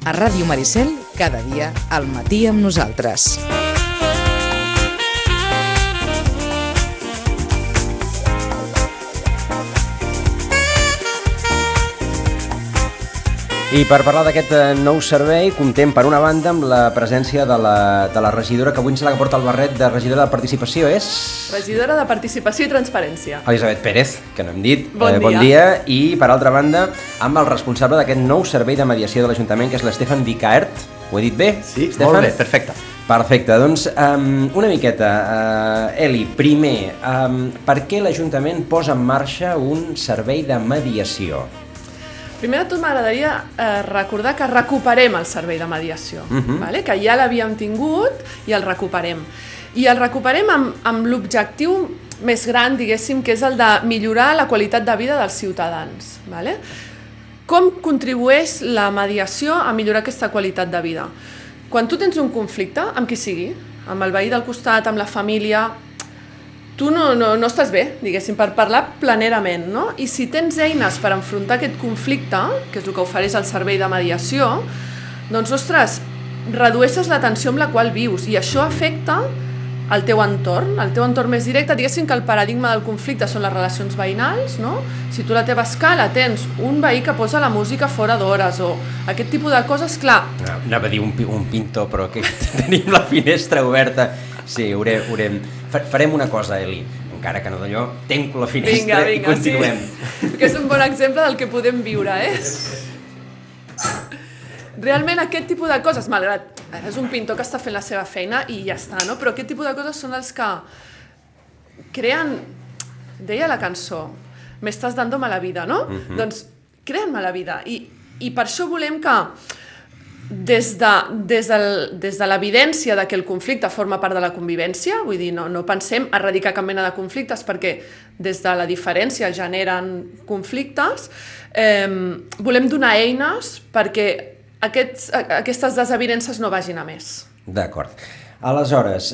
A Ràdio Maricel, cada dia al matí amb nosaltres. I per parlar d'aquest nou servei, comptem per una banda amb la presència de la regidora, que avui ens la que porta el barret de regidora de participació és... Regidora de Participació i Transparència. Elisabet Pérez, que no hem dit. Bon dia. I per altra banda, amb el responsable d'aquest nou servei de mediació de l'Ajuntament, que és l'Stefan Vicaert. Ho he dit bé? Sí, Stefan? molt bé, perfecte. Perfecte, doncs una miqueta, Eli, primer, per què l'Ajuntament posa en marxa un servei de mediació? Primer de tot m'agradaria recordar que recuperem el servei de mediació, vale? Que ja l'havíem tingut i el recuperem. I el recuperem amb l'objectiu més gran, diguéssim, que és el de millorar la qualitat de vida dels ciutadans. Vale? Com contribueix la mediació a millorar aquesta qualitat de vida? Quan tu tens un conflicte, amb qui sigui, amb el veí del costat, amb la família, tu no estàs bé, diguéssim, per parlar planerament, no? I si tens eines per enfrontar aquest conflicte, que és el que ofereix el servei de mediació, doncs, ostres, redueixes la tensió amb la qual vius i això afecta el teu entorn més directe. Diguéssim que el paradigma del conflicte són les relacions veïnals, no? Si tu a la teva escala tens un veí que posa la música fora d'hores o aquest tipus de coses, clar... Anava a dir un pintor, però que tenim la finestra oberta. Sí, farem una cosa, Eli, encara que no d'allò, tanco la finestra i continuem. Sí. Que és un bon exemple del que podem viure, Realment aquest tipus de coses, malgrat és un pintor que està fent la seva feina i ja està, no? Però aquest tipus de coses són els que creen, deia la cançó, m'estàs dando mala vida, no? Doncs creen mala vida i per això volem que des de l'evidència de que el conflicte forma part de la convivència, vull dir, no pensem erradicar cap mena de conflictes perquè des de la diferència generen conflictes, volem donar eines perquè aquestes desavinences no vagin a més. D'acord. Aleshores,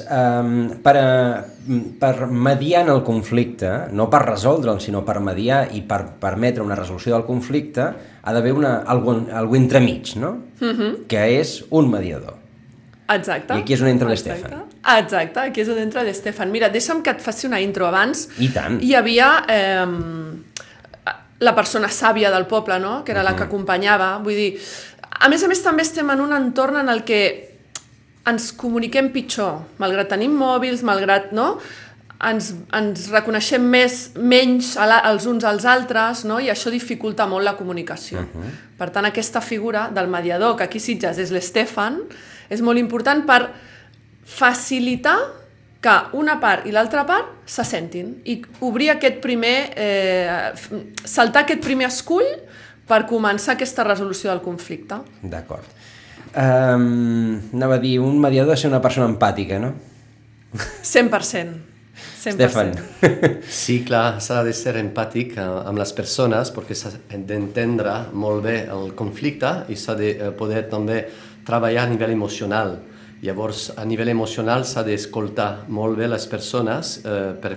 per mediar en el conflicte, no per resoldre'l, sinó per mediar i per permetre una resolució del conflicte, ha d'haver algú entremig, no? Que és un mediador. Exacte. I aquí és on entra l'Stefan. Exacte, aquí és on entra l'Stefan. Mira, deixa'm que et faci una intro abans. I tant. Hi havia la persona sàvia del poble, no? Que era la que acompanyava. Vull dir, a més també estem en un entorn en el que ens comuniquem pitjor, malgrat tenim mòbils, malgrat, no? Ens reconeixem menys els uns als altres, no? I això dificulta molt la comunicació. Per tant, aquesta figura del mediador, que aquí a Sitges és l'Stefan, és molt important per facilitar que una part i l'altra part se sentin i obrir aquest saltar aquest primer escull per començar aquesta resolució del conflicte. D'acord. Anava a dir, un mediador ha de ser una persona empàtica, no? 100%. Stefan. Sí, clar, s'ha de ser empàtic amb les persones perquè s'ha d'entendre molt bé el conflicte i s'ha de poder també treballar a nivell emocional. Llavors, a nivell emocional s'ha d'escoltar molt bé les persones per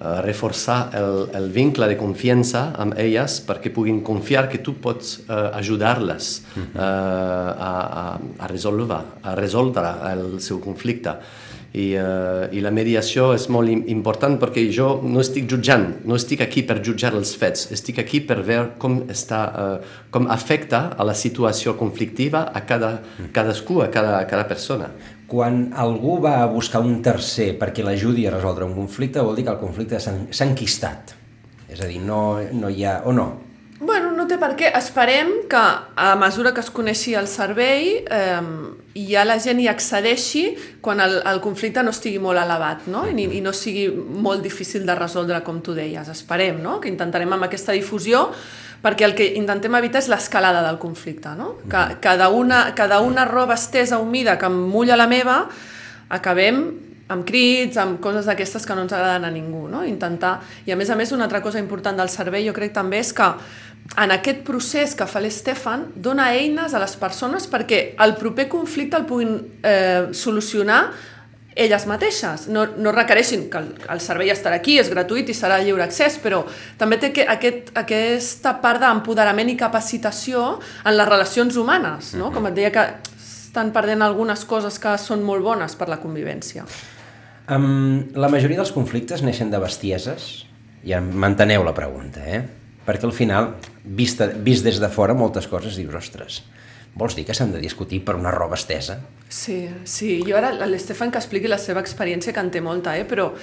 reforçar el vincle de confiança amb elles perquè puguin confiar que tu pots ajudar-les a resoldre el seu conflicte. I la mediació és molt important perquè jo no estic jutjant, no estic aquí per jutjar els fets, estic aquí per veure com afecta a la situació conflictiva a cadascú, a cada persona. Quan algú va a buscar un tercer perquè l'ajudi a resoldre un conflicte, vol dir que el conflicte s'ha enquistat. És a dir, no hi ha... o no? Bueno, no té per què. Esperem que a mesura que es coneixi el servei ja la gent hi accedeixi quan el conflicte no estigui molt elevat, no? I no sigui molt difícil de resoldre, com tu deies. Esperem, no? Que intentarem amb aquesta difusió perquè el que intentem evitar és l'escalada del conflicte, no? Que cada una roba estesa, humida, que em mulla la meva, acabem amb crits, amb coses d'aquestes que no ens agraden a ningú, no? Intentar... I a més, una altra cosa important del servei jo crec també és que en aquest procés que fa l'Stefan dona eines a les persones perquè el proper conflicte el puguin solucionar elles mateixes. No requereixin que el servei estarà aquí, és gratuït i serà lliure accés, però també té aquesta part d'empoderament i capacitació en les relacions humanes, no? Com et deia, que estan perdent algunes coses que són molt bones per la convivència. La majoria dels conflictes neixen de bestieses, ja m'enteneu la pregunta, perquè al final, vist des de fora, moltes coses dius, ostres, vols dir que s'han de discutir per una roba estesa? Sí. Jo ara, l'Estefan que expliqui la seva experiència, que en té molta, però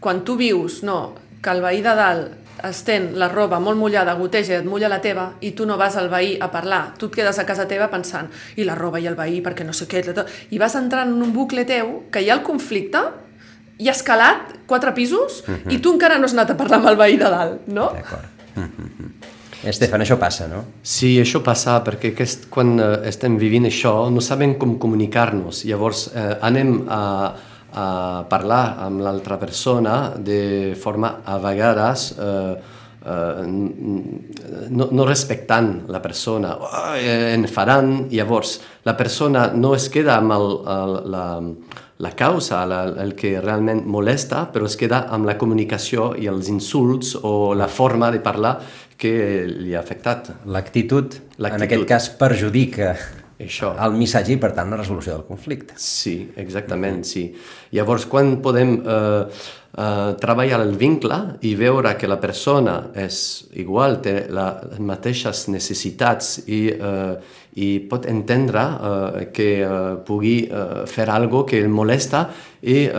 quan tu vius, que el veí de dalt estén la roba molt mullada, goteja i et mulla la teva, i tu no vas al veí a parlar, tu et quedes a casa teva pensant, i la roba i el veí, perquè no sé què, i vas entrant en un bucle teu, que hi ha el conflicte, i ha escalat 4 pisos, i tu encara no has anat a parlar amb el veí de dalt, no? D'acord. Estefan, això passa, no? Sí, això passa perquè quan estem vivint això no sabem com comunicar-nos. Llavors anem a parlar amb l'altra persona de forma a vegades no respectant la persona, enfadant. Llavors la persona no es queda amb la causa, el que realment molesta, però es queda amb la comunicació i els insults o la forma de parlar que li ha afectat. L'actitud, en aquest cas, perjudica això. El missatge i, per tant, la resolució del conflicte. Sí, exactament, sí. Llavors, quan podem treballar el vincle i veure que la persona és igual, té les mateixes necessitats i pot entendre que pugui fer alguna cosa que el molesta i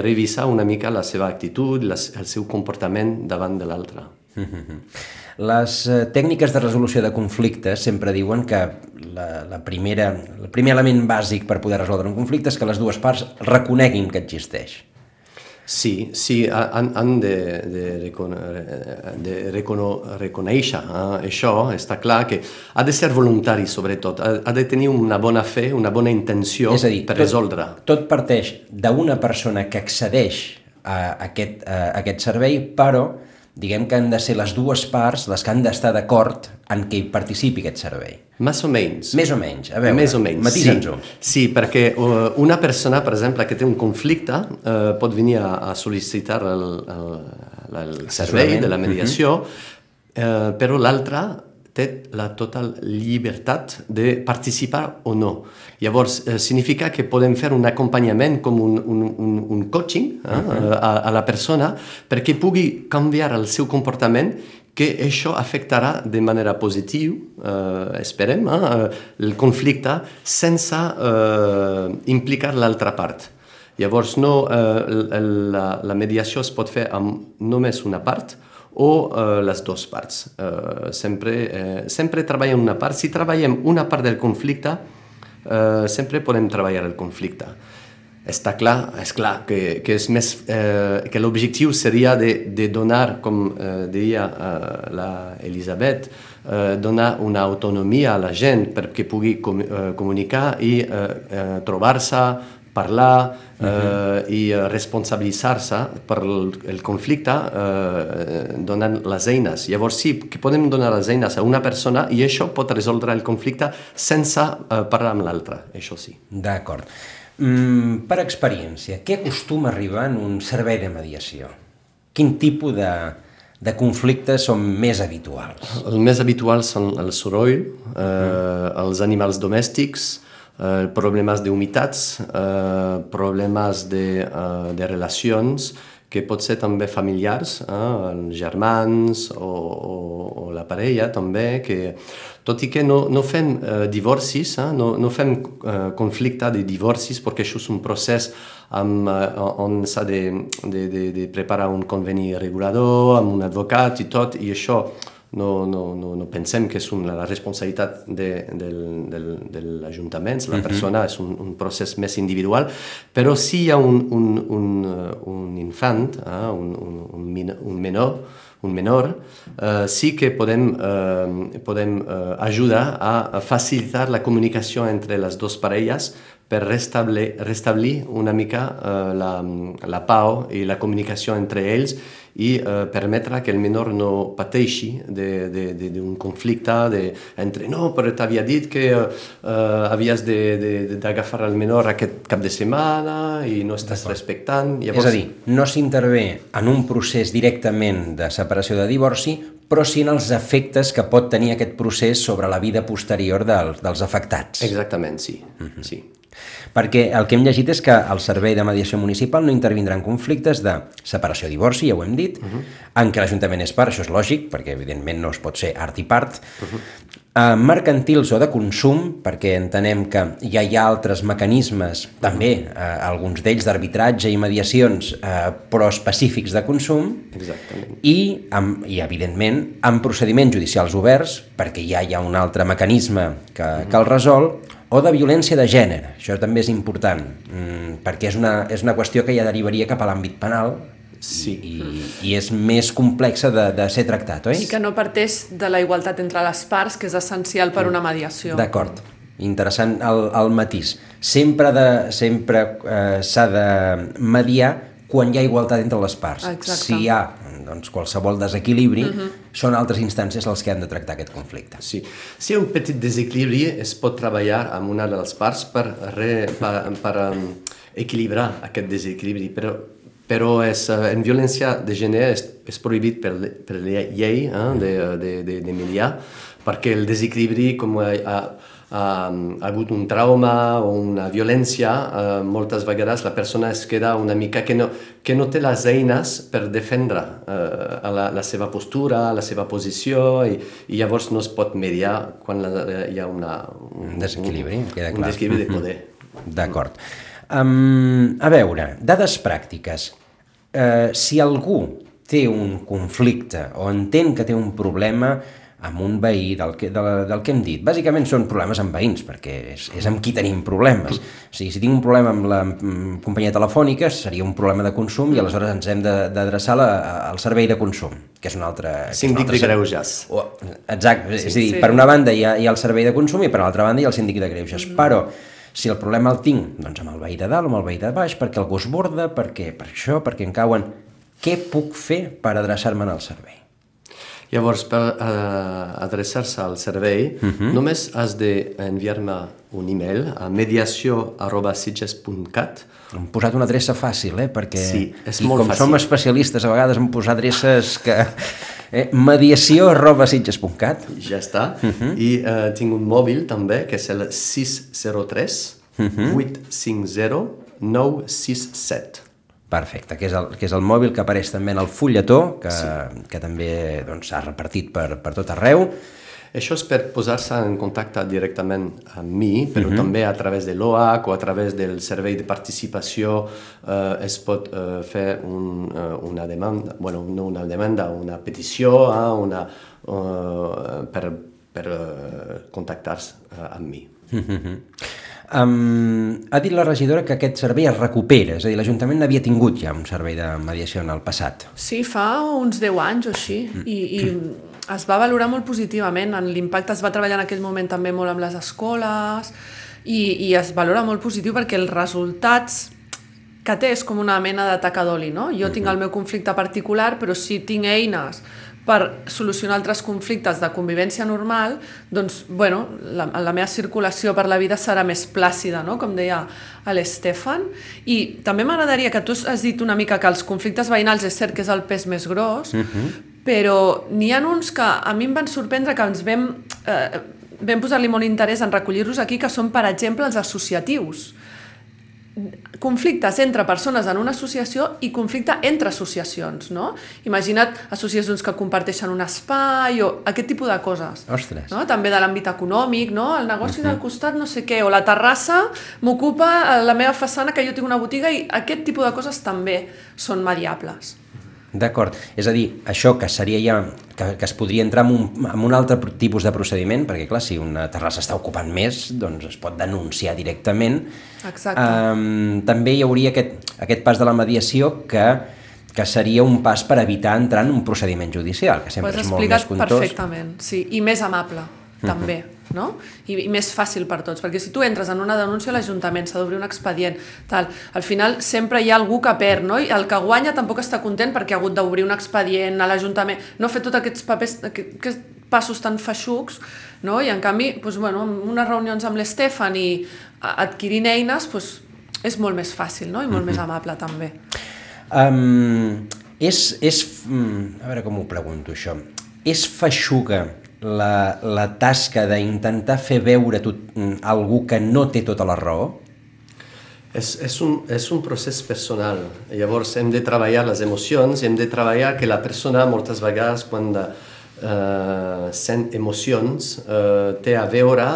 revisar una mica la seva actitud, el seu comportament davant de l'altre. Les tècniques de resolució de conflictes sempre diuen que el primer element bàsic per poder resoldre un conflicte és que les dues parts reconeguin que existeix. Sí, han de reconèixer això, està clar que ha de ser voluntari sobretot, ha de tenir una bona fe, una bona intenció per resoldre. Tot parteix d'una persona que accedeix a aquest servei, però diguem que han de ser les dues parts les que han d'estar d'acord en què hi participi aquest servei. Més o menys. Més o menys. A veure, matisa'ns-ho. Sí, perquè una persona, per exemple, que té un conflicte pot venir a sol·licitar el servei de la mediació, però l'altra té la total llibertat de participar o no. Llavors, significa que podem fer un acompanyament com un coaching a la persona perquè pugui canviar el seu comportament, que això afectarà de manera positiva, esperem, el conflicte sense implicar l'altra part. Llavors, la mediació es pot fer amb només una part, o les dues parts. Sempre treballem una part. Si treballem una part del conflicte, sempre podem treballar el conflicte. És clar que és més que l'objectiu seria de donar, com deia l'Elisabet, donar una autonomia a la gent perquè pugui comunicar i trobar-se, parlar i responsabilitzar-se per el conflicte donant les eines. Llavors sí, que podem donar les eines a una persona i això pot resoldre el conflicte sense parlar amb l'altre, això sí. D'acord. Per experiència, què acostuma a arribar en un servei de mediació? Quin tipus de conflictes són més habituals? Els més habituals són el soroll, els animals domèstics, problemes d'humitats, problemes de relacions, que pot ser també familiars, els germans o la parella també, que tot i que no fem divorcis, no fem conflicte de divorcis, perquè això és un procés on s'ha de preparar un conveni regulador amb un advocat i tot, i això no pensem que és la responsabilitat de l'Ajuntament, la persona és un procés més individual, però si hi ha un infant, un menor, un menor, sí que podem ajudar a facilitar la comunicació entre les dues parelles per restablir una mica la pau i la comunicació entre ells i permetre que el menor no pateixi d'un conflicte entre no, però t'havia dit que havies d'agafar el menor aquest cap de setmana i no estàs respectant. Llavors... És a dir, no s'intervé en un procés directament de separació de divorci, però sí en els efectes que pot tenir aquest procés sobre la vida posterior dels afectats. Exactament, sí. Sí. Perquè el que hem llegit és que el Servei de Mediació Municipal no intervindrà en conflictes de separació-divorci, ja ho hem dit, en què l'Ajuntament és part, això és lògic, perquè evidentment no es pot ser art i part, mercantils o de consum, perquè entenem que ja hi ha altres mecanismes, també alguns d'ells d'arbitratge i mediacions, però específics de consum, exactament. I evidentment amb procediments judicials oberts, perquè ja hi ha un altre mecanisme que el resol, o de violència de gènere. Això també és important, perquè és una qüestió que ja derivaria cap a l'àmbit penal, sí. I és més complexa de ser tractat, oi? I que no parteix de la igualtat entre les parts, que és essencial per una mediació. D'acord. Interessant el matís. Sempre s'ha de mediar quan hi ha igualtat entre les parts. Exacte. Si hi ha qualsevol desequilibri, són altres instàncies les que han de tractar aquest conflicte. Sí. Si hi ha un petit desequilibri, es pot treballar amb una de les parts per equilibrar aquest desequilibri, però en violència de gènere és prohibit per llei de mediar, perquè el desequilibri, com ha hagut un trauma o una violència, moltes vegades la persona es queda una mica que no té les eines per defendre la seva postura, la seva posició, i llavors no es pot mediar quan hi ha un desequilibri, queda clar. Un desequilibri de poder. D'acord. A veure, dades pràctiques. Si algú té un conflicte o entén que té un problema amb un veí del que hem dit. Bàsicament són problemes amb veïns, perquè és amb qui tenim problemes. O sigui, si tinc un problema amb la companyia telefònica, seria un problema de consum i aleshores ens hem d'adreçar al servei de consum, que és un altre... Síndic de Greuges. Exacte, és a dir, per una banda hi ha el servei de consum i per l'altra banda hi ha el síndic de Greuges, però si el problema el tinc amb el veí de dalt o amb el veí de baix, perquè algú es borda, perquè em cauen... Què puc fer per adreçar-me al servei? Llavors, per adreçar-se al servei, només has d'enviar-me un email a mediació@sitges.cat. Hem posat una adreça fàcil, perquè sí, és molt fàcil. Com som especialistes a vegades en posar adreces que... mediació@sitges.cat. Ja està. I tinc un mòbil també, que és el 603 850 967. Perfecte, que és el mòbil que apareix també en el fulletó, que també s'ha repartit per tot arreu. Això és per posar-se en contacte directament amb mi, però també a través de l'OAC o a través del servei de participació es pot fer una demanda, no una demanda, una petició per contactar-se amb mi. Ha dit la regidora que aquest servei es recupera, és a dir, l'Ajuntament n'havia tingut ja un servei de mediació en el passat. Sí, fa uns 10 anys o així, i es va valorar molt positivament. L'impacte es va treballar en aquell moment també molt amb les escoles, i es valora molt positiu perquè els resultats que té és com una mena de taca d'oli, no? Jo tinc el meu conflicte particular, però si tinc eines per solucionar altres conflictes de convivència normal, doncs, la meva circulació per la vida serà més plàcida, no? Com deia l'Estefan. I també m'agradaria que tu has dit una mica que els conflictes veïnals és cert que és el pes més gros, però n'hi ha uns que a mi em van sorprendre, que ens vam posar-li molt interès en recollir-los aquí, que són, per exemple, els associatius. Conflictes entre persones en una associació i conflicte entre associacions, no? Imagina't associacions que comparteixen un espai o aquest tipus de coses. Ostres. No? També de l'àmbit econòmic, no? El negoci del costat no sé què, o la terrassa m'ocupa la meva façana, que jo tinc una botiga, i aquest tipus de coses també són mediables. D'acord, és a dir, això que seria ja que es podria entrar en un altre tipus de procediment, perquè clar, si una terrassa està ocupant més, doncs es pot denunciar directament. Exacte. També hi hauria aquest pas de la mediació que que seria un pas per evitar entrar en un procediment judicial, que sempre és molt més contós. Perfectament, sí, i més amable, també, no? I més fàcil per tots, perquè si tu entres en una denúncia a l'Ajuntament, s'ha d'obrir un expedient, tal, al final sempre hi ha algú que perd, no? I el que guanya tampoc està content perquè ha hagut d'obrir un expedient a l'Ajuntament, no fer tots aquests papers, aquests passos tan feixucs, no? I en canvi, doncs, bueno, amb unes reunions amb l'Estefan i adquirint eines, doncs, és molt més fàcil, no? I molt més amable també. A veure com ho pregunto això, és feixuga la tasca d'intentar fer veure algú que no té tota la raó? És un procés personal. Llavors hem de treballar les emocions i hem de treballar que la persona moltes vegades quan sent emocions té a veure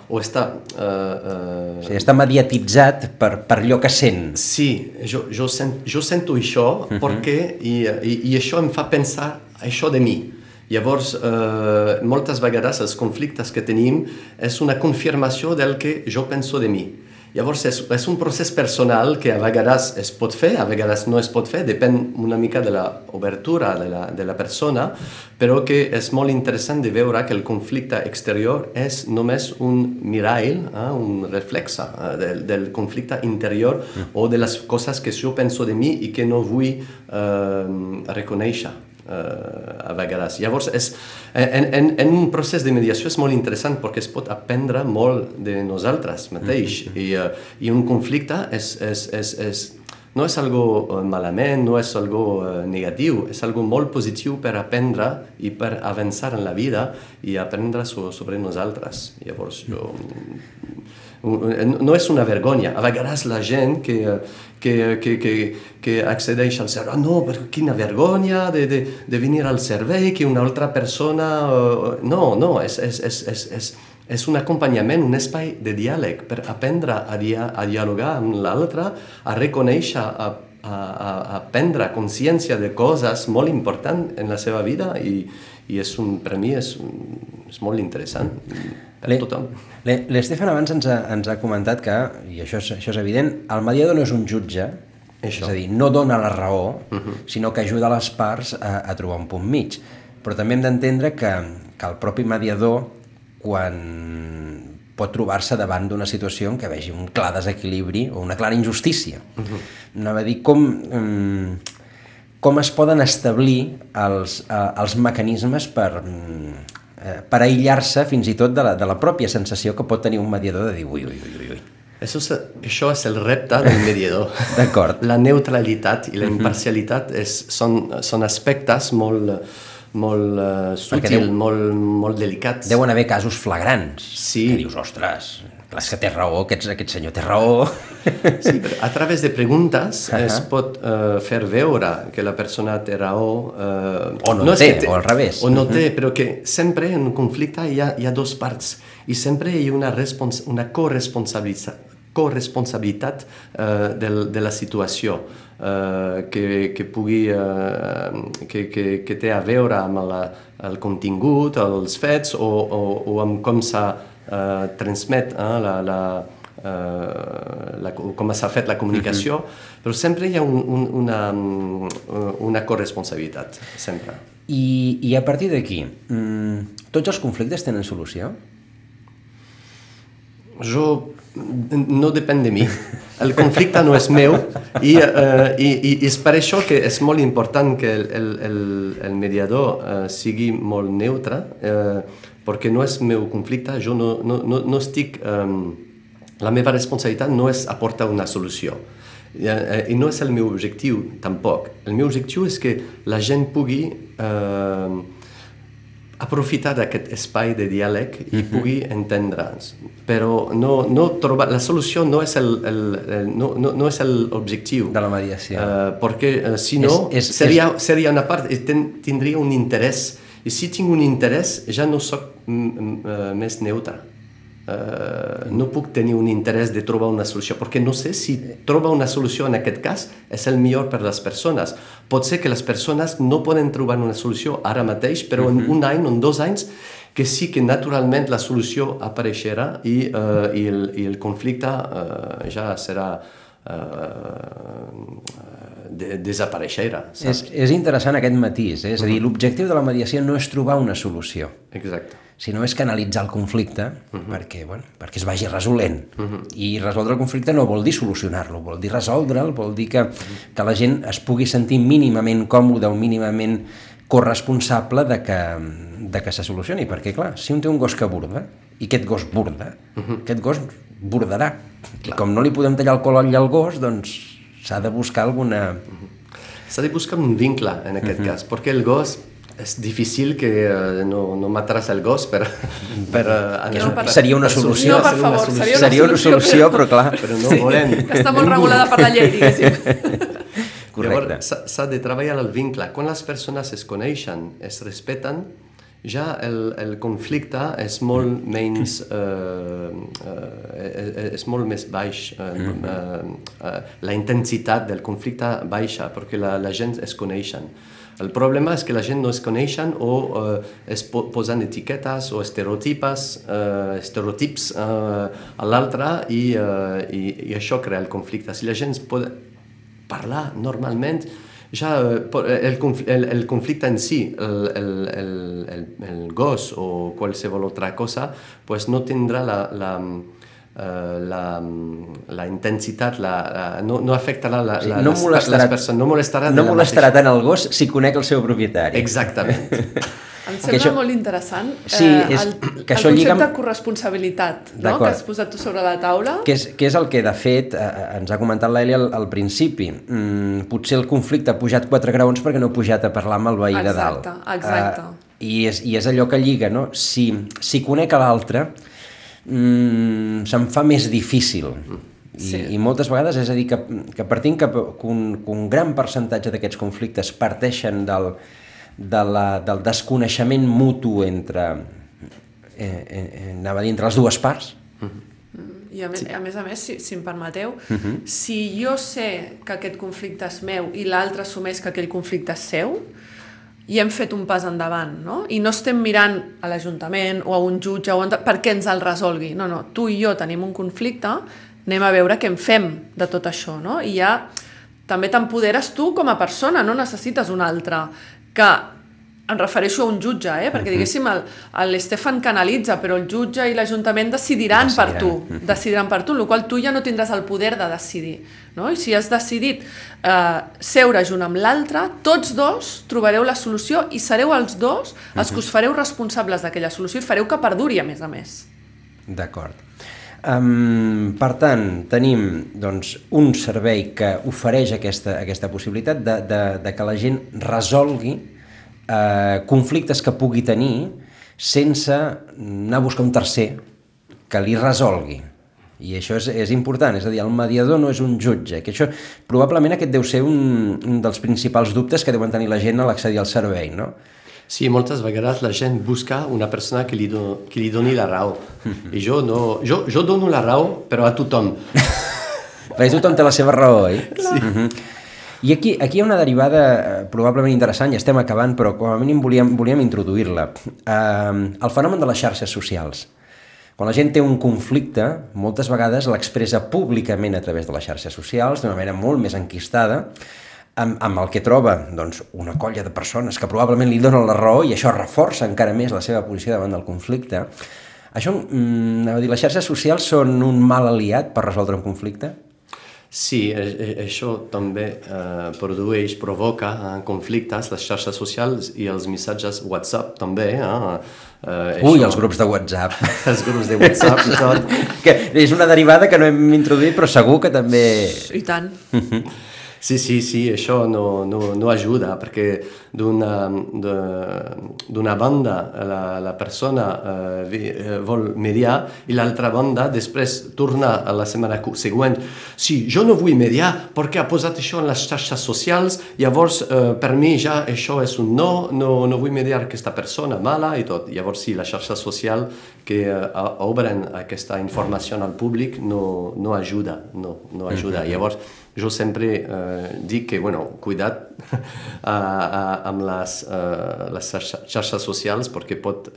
o està... O sigui, està mediatitzat per allò que sent. Sí, jo sento això perquè, i això em fa pensar això de mi. Llavors, moltes vegades els conflictes que tenim és una confirmació del que jo penso de mi. Llavors, és un procés personal que a vegades es pot fer, a vegades no es pot fer, depèn una mica de l'obertura de la persona, però que és molt interessant de veure que el conflicte exterior és només un mirall, un reflexe del conflicte interior o de les coses que jo penso de mi i que no vull reconèixer. A vegades. Llavors, en un procés de mediació és molt interessant perquè es pot aprendre molt de nosaltres mateix. I un conflicte no és algo malament, no és algo negatiu, és algo molt positiu per aprendre i per avançar en la vida i aprendre sobre nosaltres. Llavors, no és una vergonya. A vegades la gent que accedeix al servei, no, però quina vergonya de venir al servei, que una altra persona... No, és un acompanyament, un espai de diàleg per aprendre a dialogar amb l'altre, a reconèixer, a prendre consciència de coses molt importants en la seva vida i per mi és molt interessant per tothom. L'Estefan abans ens ha comentat que, i això és evident, el mediador no és un jutge, és a dir, no dona la raó, sinó que ajuda les parts a trobar un punt mig. Però també hem d'entendre que el propi mediador, quan pot trobar-se davant d'una situació en què vegi un clar desequilibri o una clara injustícia. Anava a dir com es poden establir els mecanismes per aïllar-se fins i tot de la pròpia sensació que pot tenir un mediador de dir ui. Això és el repte del mediador. D'acord. La neutralitat i la imparcialitat són aspectes molt sutils, molt delicats. Deuen haver casos flagrants. Sí. Que dius, ostres, clar, és que té raó, aquest senyor té raó. Sí, però a través de preguntes es pot fer veure que la persona té raó. O no té, o al revés. O no té, però que sempre en un conflicte hi ha dos parts i sempre hi ha una corresponsabilitat de la situació que que té a veure amb el contingut, els fets o amb com s'ha transmet com s'ha fet la comunicació, però sempre hi ha una corresponsabilitat, sempre. I a partir d'aquí, tots els conflictes tenen solució? No depèn de mi. El conflicte no és meu i és per això que és molt important que el mediador sigui molt neutre, perquè no és meu conflicte, jo no estic... La meva responsabilitat no és aportar una solució. I no és el meu objectiu, tampoc. El meu objectiu és que la gent pugui aprofitar d'aquest espai de diàleg i pugui entendre'ns. Però la solució no és l'objectiu de la mediació. Perquè si no, seria una part, tindria un interès. I si tinc un interès, ja no soc més neutre. No puc tenir un interès de trobar una solució, perquè no sé si trobar una solució en aquest cas és el millor per les persones. Pot ser que les persones no poden trobar una solució ara mateix, però en un any o en 2 anys que sí que naturalment la solució apareixerà i el conflicte ja serà desapareixerà, saps? És interessant aquest matís, és a dir, l'objectiu de la mediació no és trobar una solució, Exacte. sinó és canalitzar el conflicte perquè es vagi resolent. I resoldre el conflicte no vol dir solucionar-lo, vol dir resoldre'l, vol dir que la gent es pugui sentir mínimament còmode o mínimament corresponsable de que se solucioni, perquè clar, si un té un gos que burda, i aquest gos burda, aquest gos burdarà. I com no li podem tallar el coll al gos, doncs s'ha de buscar alguna... S'ha de buscar un vincle en aquest cas, perquè el gos és difícil que no mataràs el gos seria una solució. No, per favor, seria una solució, però clar... Però no volem. Que està molt regulada per la llei, diguéssim. Correcte. Llavors, s'ha de treballar el vincle. Quan les persones es coneixen, es respeten, ja el conflicte és molt menys és molt més baix, la intensitat del conflicte baixa perquè la gent es coneixen. El problema és que la gent no es coneixen o es posen etiquetes o estereotips a l'altre i això crea el conflicte. Si la gent pot parlar normalment, ja el conflicte en si, el gos o qualsevol altra cosa, pues no tindrà la intensitat, no afectarà les persones, no molestarà tant el gos si conec el seu propietari. Exactament. Em sembla molt interessant el concepte de corresponsabilitat, no? Que has posat tu sobre la taula. Que és el que, de fet, ens ha comentat l'Èlia al principi. Potser el conflicte ha pujat 4 graons perquè no ha pujat a parlar amb el veí de dalt. Exacte. I és allò que lliga, no? Si conec a l'altre, se'm fa més difícil. I moltes vegades, és a dir, que partint que un gran percentatge d'aquests conflictes parteixen del desconeixement mutu entre les dues parts. I a més, si em permeteu, si jo sé que aquest conflicte és meu i l'altre assumeix que aquell conflicte és seu, i hem fet un pas endavant, no? I no estem mirant a l'Ajuntament o a un jutge perquè ens el resolgui. No, tu i jo tenim un conflicte, anem a veure què en fem de tot això, no? I ja també t'empoderes tu com a persona, no necessites un altre. Que em refereixo a un jutge, perquè diguéssim l'Stefan canalitza, però el jutge i l'Ajuntament decidiran per tu, en la qual tu ja no tindràs el poder de decidir, no? I si has decidit seure junt amb l'altre, tots dos trobareu la solució i sereu els dos els que us fareu responsables d'aquella solució i fareu que perduri a més. D'acord. Per tant, tenim un servei que ofereix aquesta possibilitat de que la gent resolgui conflictes que pugui tenir sense anar a buscar un tercer que li resolgui. I això és important, és a dir, el mediador no és un jutge, que això probablement aquest deu ser un dels principals dubtes que deuen tenir la gent a l'accedir al servei, no? Sí, moltes vegades la gent busca una persona que li doni la raó. I jo dono la raó, però a tothom. Perquè tothom té la seva raó, oi? Sí. I aquí hi ha una derivada probablement interessant, i estem acabant, però com a mínim volíem introduir-la. El fenomen de les xarxes socials. Quan la gent té un conflicte, moltes vegades l'expressa públicament a través de les xarxes socials, d'una manera molt més enquistada, amb el que troba una colla de persones que probablement li donen la raó i això reforça encara més la seva posició davant del conflicte. Això, les xarxes socials són un mal aliat per resoldre un conflicte? Sí, això també provoca conflictes, les xarxes socials i els missatges WhatsApp també. Els grups de WhatsApp. Els grups de WhatsApp i tot. Que és una derivada que no hem introduït, però segur que també... I tant. Sí, això no ajuda, perquè d'una banda la persona vol mediar i l'altra banda després torna a la setmana següent. Sí, jo no vull mediar perquè ha posat això en les xarxes socials, llavors per mi ja això és un no vull mediar aquesta persona mala i tot. Llavors sí, la xarxa social que obren aquesta informació al públic no ajuda. Llavors jo sempre dic que, cuidat amb les xarxes socials perquè pot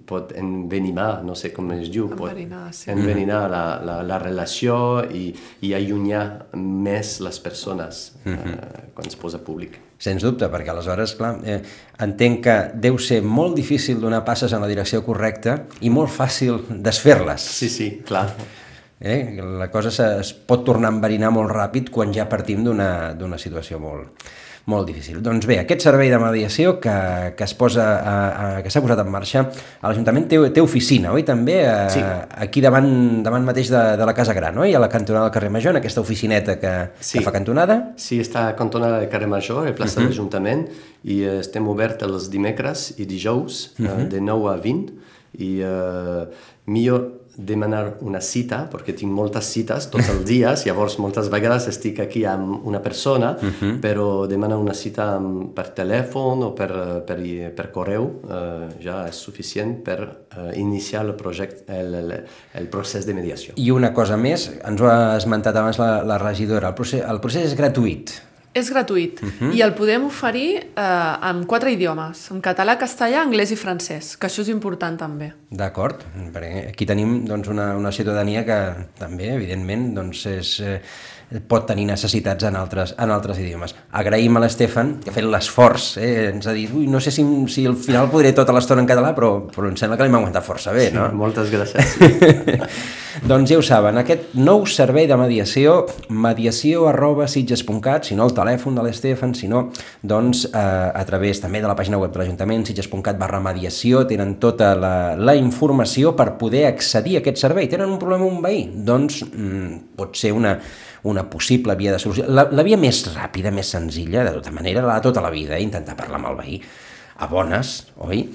pot enveninar, no sé com es diu, pot Enverinar, sí. enveninar la relació i allunyar més les persones quan es posa públic. Sens dubte, perquè aleshores, clar, entenc que deu ser molt difícil donar passes en la direcció correcta i molt fàcil desfer-les. Sí, clar. La cosa es pot tornar a enverinar molt ràpid quan ja partim d'una situació molt difícil. Doncs bé, aquest servei de mediació que s'ha posat en marxa, a l'Ajuntament té oficina, oi? També Sí. aquí davant mateix de la Casa Gran, oi? A la cantonada del carrer Major, en aquesta oficineta que fa cantonada. Sí, està a cantonada del carrer Major, a plaça de l'Ajuntament, i estem oberts els dimecres i dijous, de 9 a 20, i millor demanar una cita, perquè tinc moltes cites tots els dies, llavors moltes vegades estic aquí amb una persona, però demanar una cita per telèfon o per correu ja és suficient per iniciar el procés de mediació. I una cosa més, ens ho ha esmentat abans la regidora, el procés és gratuït. És gratuït i el podem oferir en 4 idiomes, en català, castellà, anglès i francès, que això és important també. D'acord, perquè aquí tenim doncs, una ciutadania que també, evidentment, doncs, pot tenir necessitats en altres idiomes. Agraïm a l'Estefan, que ha fet l'esforç, ens ha dit, no sé si al final podré tota l'estona en català, però em sembla que l'hem aguantat força bé, no? Sí, moltes gràcies. Doncs ja ho saben, aquest nou servei de mediació@sitges.cat, si no el telèfon de l'Estefan, si no, doncs a través també de la pàgina web de l'Ajuntament, sitges.cat/mediació, tenen tota la informació per poder accedir a aquest servei. Tenen un problema amb un veí? Doncs pot ser una possible via de solució. La via més ràpida, més senzilla, de tota manera, la de tota la vida, intentar parlar amb el veí a bones, oi?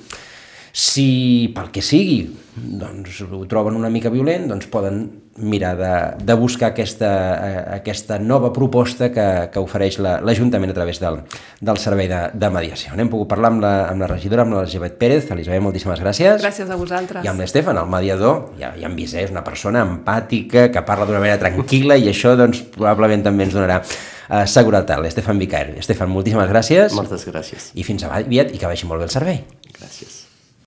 Si pel que sigui doncs, ho troben una mica violent, doncs poden mirar de buscar aquesta nova proposta que ofereix l'Ajuntament a través del servei de mediació. N'hem pogut parlar amb la regidora, amb l'Elisabet Pérez. Elisabet, moltíssimes gràcies. Gràcies a vosaltres. I amb l'Estefan, el mediador, ja hem vist, és una persona empàtica, que parla d'una manera tranquil·la i això doncs, probablement també ens donarà seguretat. L'Estefan Vicaer. Estefan, moltíssimes gràcies. Moltes gràcies. I fins aviat i que vagi molt bé el servei. Gràcies.